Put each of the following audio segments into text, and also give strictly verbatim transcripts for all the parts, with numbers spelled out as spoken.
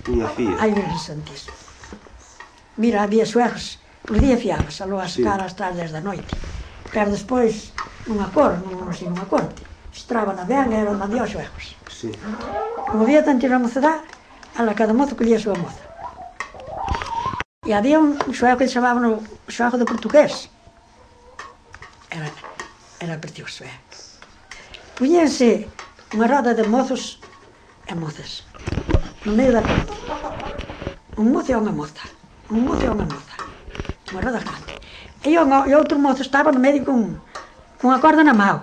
Unha fía. Ai, Virgen Santísima. Mira, había suegros, por día fiabas, aló a sacar as tardes da noite. Pero despois, nunha cor, non sei, nunha corte, estraban a ben e eran mandía aos suegros. Sí. Como había tanta na mocedade, ala cada mozo collía a súa moza. E había un suego que chamaban o suego do portugués. Era, era precioso, eh? Puñense unha roda de mozos e mozas no medio da corte. Un mozo e unha moza. Un mozo e unha moza. Unha roda grande. E o, e outro mozo estaba no medio con, con a corda na mão.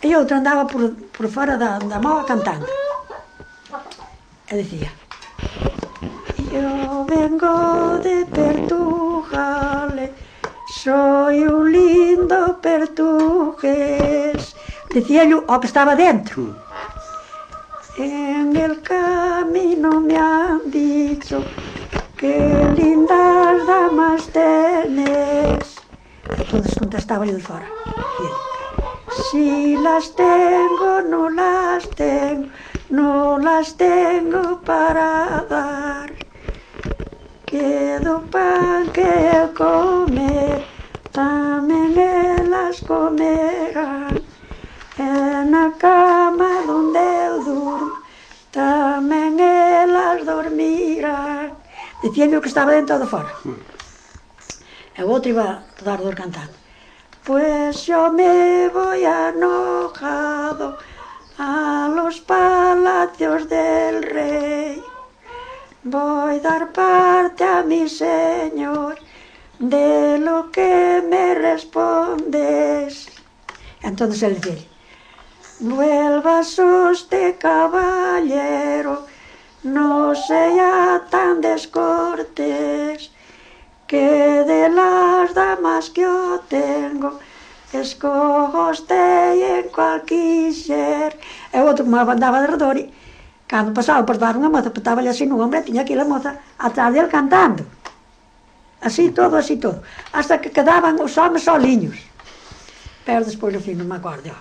E outro andaba por, por fora da, da mão cantando. E dicía: yo vengo de Portugal, soy un lindo portugués. Dicía-lhe o que estaba dentro. En el camino me han dicho que lindas damas tenés. Entonces contestaba-lhe de fora. Si las tengo, no las tengo, no las tengo para dar. Quedo pan que comer, tamén elas comerán. En a cama donde eu durmo, tamén elas dormirán. Dicían que estaba dentro de fora. E o outro iba todo ardor cantando: pues yo me voy enojado a los palacios del rey. Voy a dar parte a mi señor de lo que me respondes. Entonces él dice: vuelvas usted, caballero, no sea tan descortés, que de las damas que yo tengo escojo usted en cualquier. E o outro como andaba de redor, e cando pasaba por dar unha moza, petaba-lhe así no ombro e tiña aquela moza atrás dele cantando. Así todo, así todo. Hasta que quedaban os homes soliños. Pero despois, no fin, non me acordo.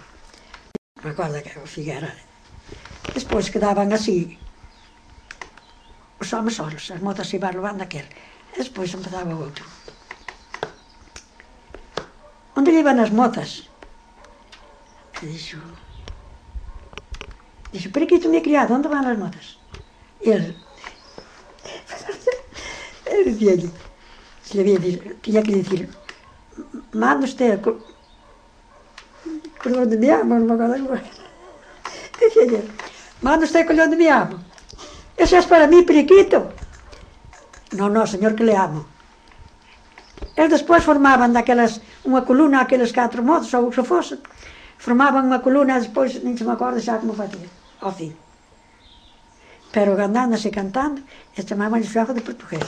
Non me acordo que o Figuera. Despois quedaban así os homes solos, as mozas iban levando aquel. E despois empezaba o outro. Onde iban as mozas? E dixo... Dixo: periquito, meu criado, onde van as mozas? E ele... Ele dizia-lhe... Se lhe había dicho, tiña que dicir: manda usted con onde me amo, non me acordo. Dicía-lhe: manda usted con onde me amo. Eso es para mí, periquito. No, no, señor, que le amo. Eles despois formaban daquelas, unha coluna, aqueles catro mozos, ou se fose, formaban unha coluna, despois, nin se me acordo xa como facía, ao fin. Pero andando así cantando, e chamaban o suego de portugués.